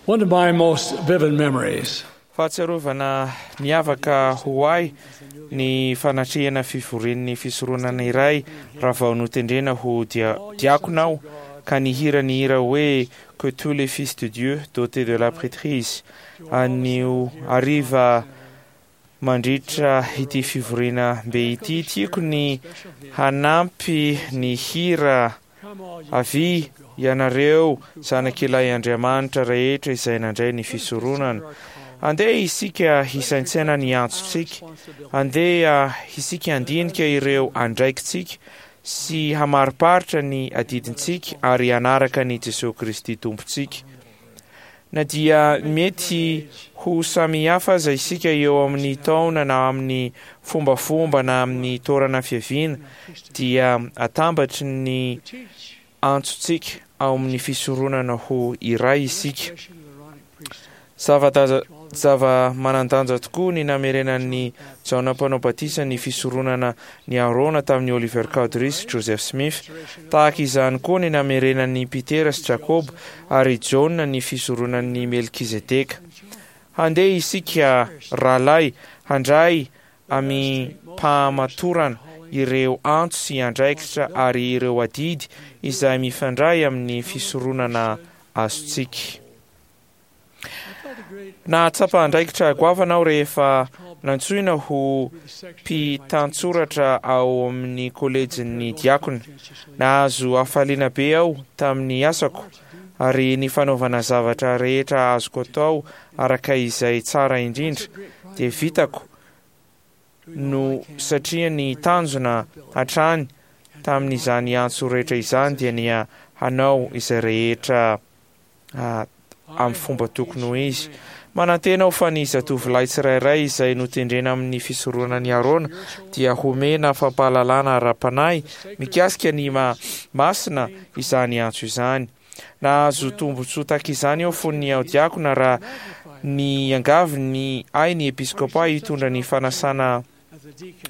One of my most vivid memories Fahatsiarovana miavaka ho ahy ny fanatrehana fivorian'ny fisoronana iray raha vao notendrena ho diakona aho ka nihira ny hira hoe Que tous les fils de Dieu dotés de la prêtrise anio hariva mandritra ity fivoriana be ity. Tiako ny hanampy ny hira Avia ianareo zanak'ilay Andriamanitra rehetra izay nandray ny fisoronana. Andeha isika hisaintsaina ny antsontsika. Andeha isika handinika ireo andraikitsika sy hamariparitra ny adidintsika ary hanaraka an'i Jesoa Kristy Tompontsika. Na dia mety ho samihafa aza isika eo amin'ny taona na amin'ny fombafomba na amin'ny toerana fiaviana, dia atambatry ny antsontsika ao amin'ny fisoronana ho iray isika. Zava-manan-danja tokoa ny namerenan'i Jaona Mpanao Batisa ny fisoronana ny Aarona tamin'i Oliver Cowdery sy Joseph Smith. Tahaka izany koa ny namerenan'i Petera sy Jakoba ary Jaona ny fisoronan'i Melkizedeka. Handeha isika, rahalahy, handray amim-pahamatorana ireo antso sy andraikitra ary ireo adidy izay mifandray amin'ny fisoronana azontsika. Nahatsapa andraikitra goavana aho rehefa nantsoina ho mpitantsoratra ao amin'ny kolejin'ny diakona. Nahazo hafaliana be aho tamin'ny asako, ary ny fanaovana zavatra rehetra azoko atao araka izay tsara indrindra dia vitako no satria ny tanjona hatrany tamin'izany antso rehetra izany dia ny hanao izay rehetra amin'ny fomba tokony ho izy. Manantena aho fa ny zatovolahy tsirairay izay notendrena amin'ny fisoronan'i Arona dia homena fampahalalana ara-panahy mikasika ny maha masina izany antso izany. Nahazo tombontsoa tahaka izany aho fony aho diakona raha niangavy ny ahy ny episkopa hitondra ny fanasana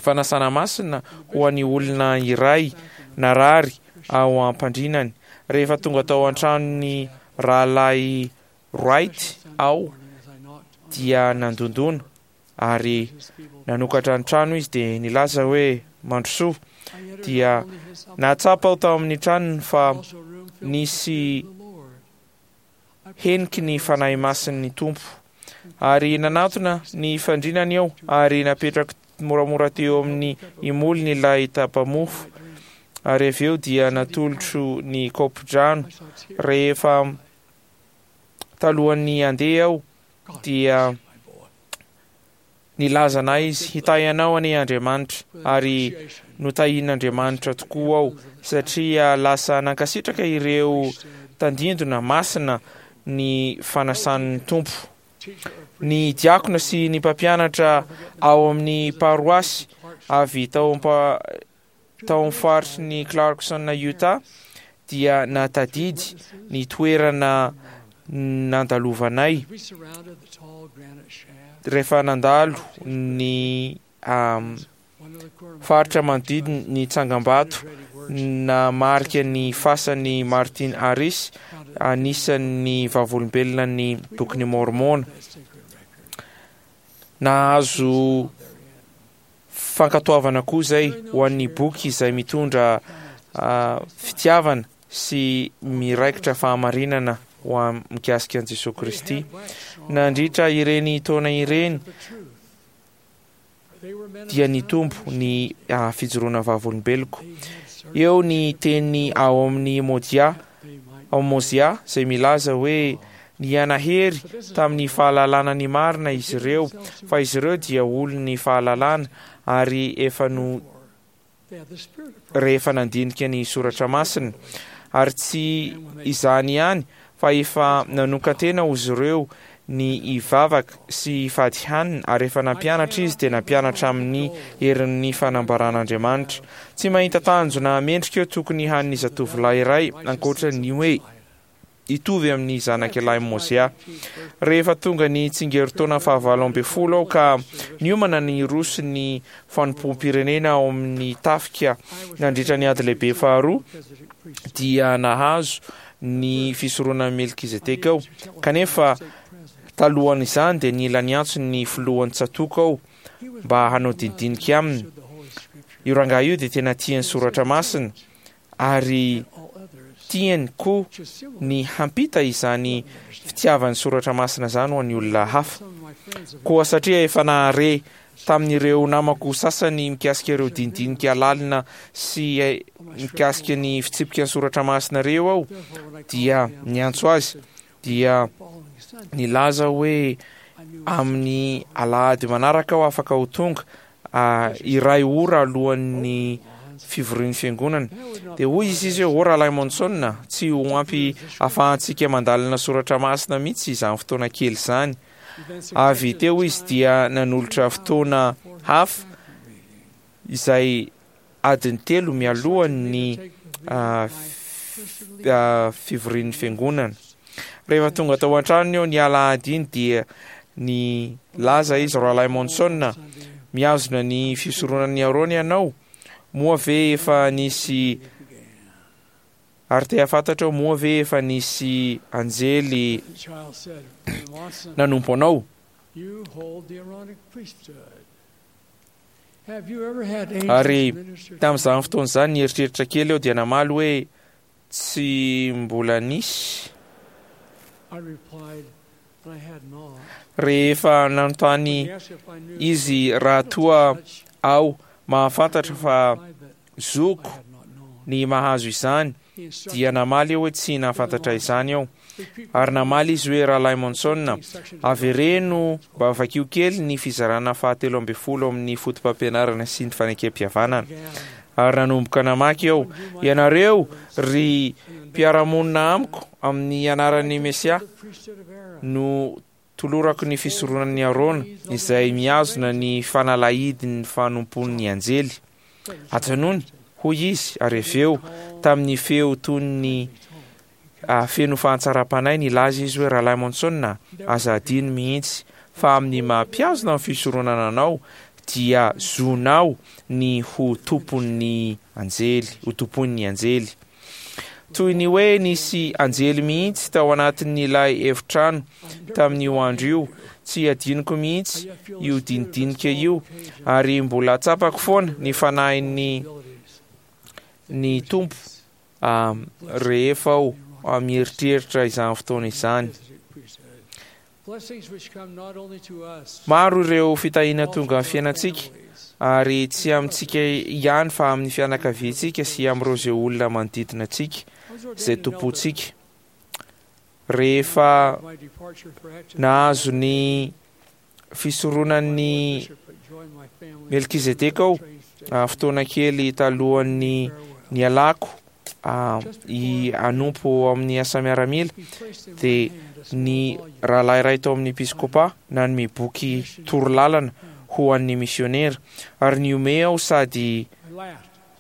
fanasana masina ho an'ny olona iray narary ao am-pandrinany. Rehefa tonga tao an-tranon'ny Rahalahy Wright aho dia nandondona ary nanokatra ny trano izy dia nilaza hoe, Mandrosoa. Dia nahatsapa aho tao amin'ny tranony fa nisy heniky ny Fanahy Masin'ny Tompo. Ary nanatona ny fandrinany aho ary napetrako moramora teo amin'ny imolony ilay tapa-mofo, ary avy eo dia natolotro ny kaopin-drano. Rehefa talohan'ny handeha aho dia Nilazana izy, Hitahy anao anie Andriamanitra, ary notahian'Andriamanitra tokoa aho, satria lasa nankasitraka ireo tandindona masina ny fanasan'ny Tompo. Ny diakona sy ny mpampianatra ao amin'ny paroasy avy tao tao amin'ny faritry ny Clarkson Utah dia nahatadidy ny toerana nandalovanay rehefa nandalo ny faritra manodidina ny tsangambato namarika ny fasan'i Martin Harris, anisan'ny vavolombelona ny Bokin'i Môrmôna. Nahazo Fankatoavana koa izay ho an'ny boky izay mitondra fitiavana sy miraikitra fahamarinana ho an mikasika an'i Jesoa Kristy. Nandritra ireny taona ireny dia nitombo ny fijoroana vavolombeloko. Eo ny teny ao amin'ny Modia, ao Mozia izay milaza hoe Nihanahery tamin'ny fahalalana ny marina izy ireo, fa izy ireo dia olon'ny fahalalana ary efa no rehefa nandinika ny soratra masina. Ary tsy izany ihany, fa efa nanokan-tena ozy ireo ny hivavaka sy hifady hanina, ary efa nampianatra izy dia nampianatra amin'ny herin'ny fanambaran'Andriamanitra. Tsy mahita tanjona mendrika eo tokony hanin'ny zatovolahy iray ankoatra ny hoe hitovy amin'ny zanak'ilahy Mozia. Rehefa tonga ny tsingerin-taona fahavalo ambin'ny folo aho ka niomana ny hiroso ny fanompoam-pirenena ao amin'ny tafika nandritra ny ady lehibe faharoa, dia nahazo ny fisoronan'i Melkizedeka aho. Kanefa talohan'izany dia nila niantso ny filohan'ny tsatòka aho mba hanao dinidinika aminy. Io rangahy io dia tena tia ny soratra masina ary tiany koa ny hampita izany fitiavany soratra masina izany ho an'ny olona hafa. Koa satria efa nahare tamin'ireo namako sasany mikasika ireo dinidinika lalina sy mikasika ny fitsipika ny soratra masina ireo aho, dia niantso azy, dia nilaza hoe amin'ny alahady manaraka aho afaka ho tonga iray ora alohan'ny fivorian'ny fiangonana. Dia hoy izy izy hoe, O Rahalahy Monson, tsy ho ampy afahantsika mandalina soratra masina mihitsy izany fotoana kely izany. Avy teo izy dia nanolotra fotoana hafa izay adiny telo mialohan'ny fivorian'ny fiangonana. Rehefa tonga tao an-tranony aho ny alahady iny dia nilaza izy, Rahalahy Monson, mihazona ny fisoronan'i Arona ianao, moa ve efa nisy Ary te hahafantatra aho, moa ve efa nisy anjely nanompo anao? Ary tamin'izany fotoana izany, nieritreritra kely aho dia namaly hoe, Tsy mbola nisy. Rehefa nanontany izy raha toa aho mahafantatra fa zoko ny mahazo izany, dia namaly aho hoe tsy nahafantatra izany aho. Ary namaly izy hoe, Rahalahy Monson, avereno mba vakio kely ny fizarana fahatelo ambin'ny folo amin'ny Fotopampianarana sy ny Fanekempihavanana. Ary nanomboka namaky aho, Ianareo, ry mpiara-monina amiko, amin'ny anaran'ny Mesia, no tolorako ny fisoronan'i Arona, izay mihazona ny fanalahidin'ny fanompoan'ny anjely. Ajanony, hoy izy, ary avy eo, tamin'ny feo toy ny feno fahatsaram-panahy, nilaza izy hoe, Rahalahy Monson, aza adino mihitsy fa amin'ny maha-mpihazona ny fisoronana anao, dia zonao ny ho tompon'ny anjely, ho tompoin'ny anjely. Toy ny hoe nisy anjely mihitsy tao anatin'ilay efitrano tamin'io andro io. Tsy hadinoko mihitsy io dinidinika io, ary mbola tsapako foana ny fanahin'ny ny Tompo rehefa aho mieritreritra izany fotoana izany. Maro ireo fitahiana tonga amin'ny fiainantsika, ary tsy amintsika ihany fa amin'ny fianakaviantsika sy amin'ireo izay olona manodidina antsika, izay tompontsika. Rehefa nahazo ny fisoronan'i Melkizedeka aho, fotoana kely talohan'ny nialako i hanompo ao amin'ny asa miaramila, dia ny rahalahy iray tao amin'ny episkopa nanome boky torolalana ho an'ny misionera, ary nihomehy aho sady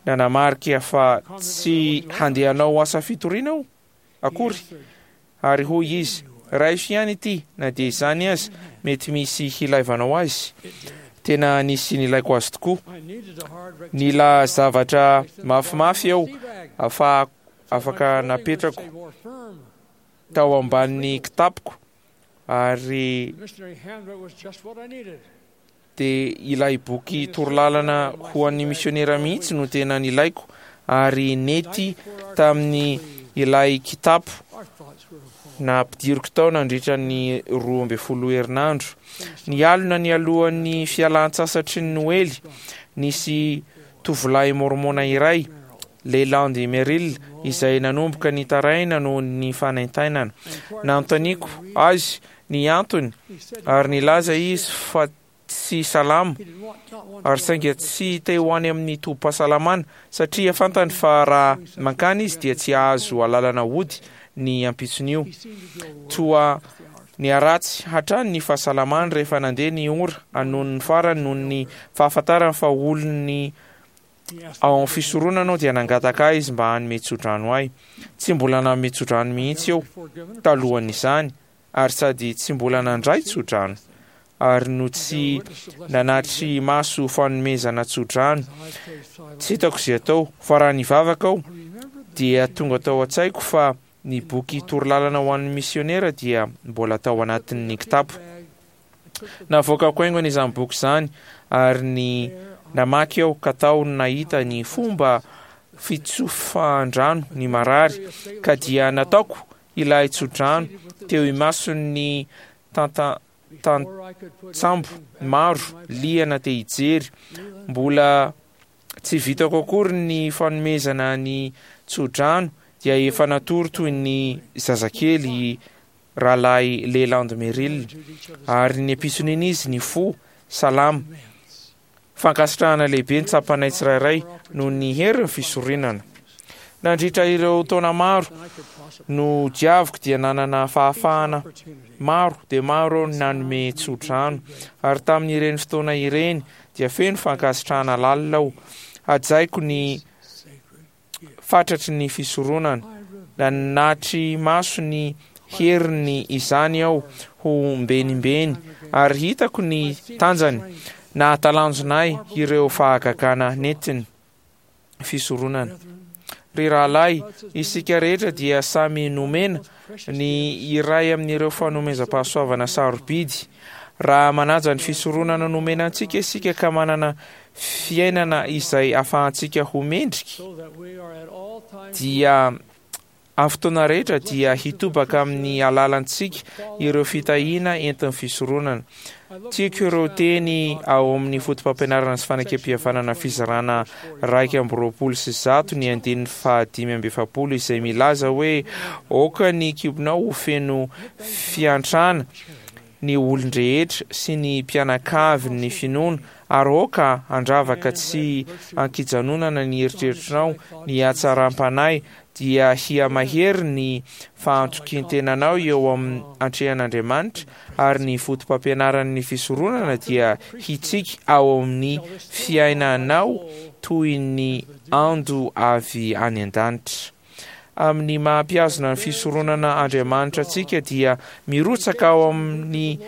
nanamarika fa tsy handeha hanao asa fitoriana aho akory. Ary hoy izy, Raiso ihany ity, na dia izany aza, mety misy hilaivanao azy. Tena nisy nilaiko azy tokoa. Nila zavatra mafimafy aho afahako afaka napetrako tao ambanin'ny kitapoko ary dia ilay boky torolalana ho an'ny misionera mihitsy no tena nilaiko ary nety tamin'ny ilay kitapo nampidiriko tao nandritra ny 12 herinandro. Nialona nialohan'ny fialan-tsasatry ny Noely, nisy tovolahy môrmôna iray, Leland Merrill, izay nanomboka nitaraina noho ny fanaintainana. Nanontaniako azy ny antony ary nilaza izy fa tsy salama ary sainga tsy te ho any amin'ny tobim-pahasalamana satria fantany fa raha mankany izy dia tsy hahazo alalana hody ny ampitson'io. Toa niharatsy hatrany ny fahasalamany rehefa nandeha ny ora anonony farany noho ny fahafantarany fa olon'ny Ao amin'ny fisoronana aho dia nangataka ahy izy mba hanome tsodrano ahy. Tsy mbola nanome tsodrano mihitsy aho talohan'izany ary sady tsy mbola nandray tsodrano ary no tsy nanatri maso fanomezana tsodrano. Tsy hitako izay atao fa raha nivavaka aho dia tonga tao an-tsaiko fa. Ny boky Torolalana ho an'ny Misionera dia mbola tao anatin'ny kitapo. Navoakako haingana izany boky izany ary ny namaky aho ka tao no nahita ny fomba fitsofan-drano ny marary ka dia nataoko ilay tsodrano teo imason'ny tantsambo maro liana te hijery. Mbola tsy vitako akory ny fanomezana ny tsodrano dia efa natory toy ny zazakely i Rahalahy Leland Merrill, ary ny ampitson'iny izy nifoha salama. Fankasitrahana lehibe ny tsapanay tsirairay noho ny herin'ny fisorinana. Nandritra ireo taona maro nodiaviko dia nanana fahafahana maro dia maro aho nanome tsodrano, ary tamin'ireny fotoana ireny dia feno fankasitrahana lalina aho. Hajaiko ny fatratry ny fisoronana. Nanatri-maso ny heriny izany aho ho mbenimbeny, ary hitako ny tanjany. Nahatalanjona ahy ireo fahagagana nentiny. Fisoronana. Ry rahalahy, isika rehetra dia samy nomena ny iray amin'ireo fanomezam-pahasoavana sarobidy. Raha manaja ny fisoronana nomena antsika isika ka manana fiainana izay afahantsika ho mendrika, dia amin'ny fotoana rehetra dia hitobaka amin'ny alalantsika ireo fitahiana entin'ny fisoronana. Tiako ireo teny ao amin'ny Fotopampianarana sy Fanekempihavanana fizarana 121 ny andininy faha-45 izay milaza hoe, Aoka ny kibonao ho feno fiantrana, ny olon-drehetra sy ny mpianakavin'ny finoana ary aoka handravaka tsy an-kijanonana ny eritreritrinao ny hatsaram-panahy dia hihamahery ny fahantokian-tenanao eo amin'ny antrehan'Andriamanitra ary ny fotopampianaran'ny fisoronana dia hitsiky ao amin'ny fiainanao toy ny ando avy any an-danitra. Amin'ny maha mpihazona ny fisoronana Andriamanitra antsika dia mirotsaka ao amin'ny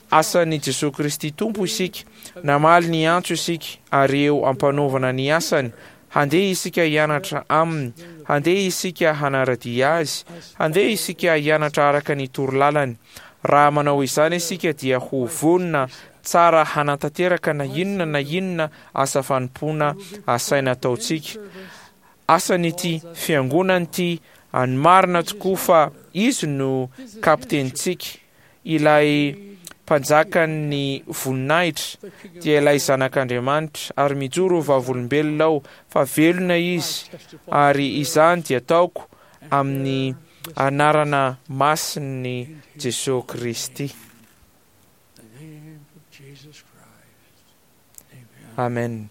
asan'i Jesoa Kristy Tompo isika. Namaly ny antso isika ary eo am-panaovana ny asany. Handeha isika hianatra Aminy. Handeha isika hanara-dia Azy. Handeha isika hianatra araka ny torolalany. Raha manao izany isika dia ho vonona tsara hanatanteraka na inona na inona asa fanompoana asaina ataontsika. Asany ity fiangonana ity any marina tokoa fa izy no kapitenintsika, ilay Mpanjakan'ny voninahitra, dia ilay Zanak'Andriamanitra, ary mijoro ho vavolombelona aho fa velona Izy, ary izany dia ataoko amin'ny anarana masin'i Jesoa Kristy. Amen.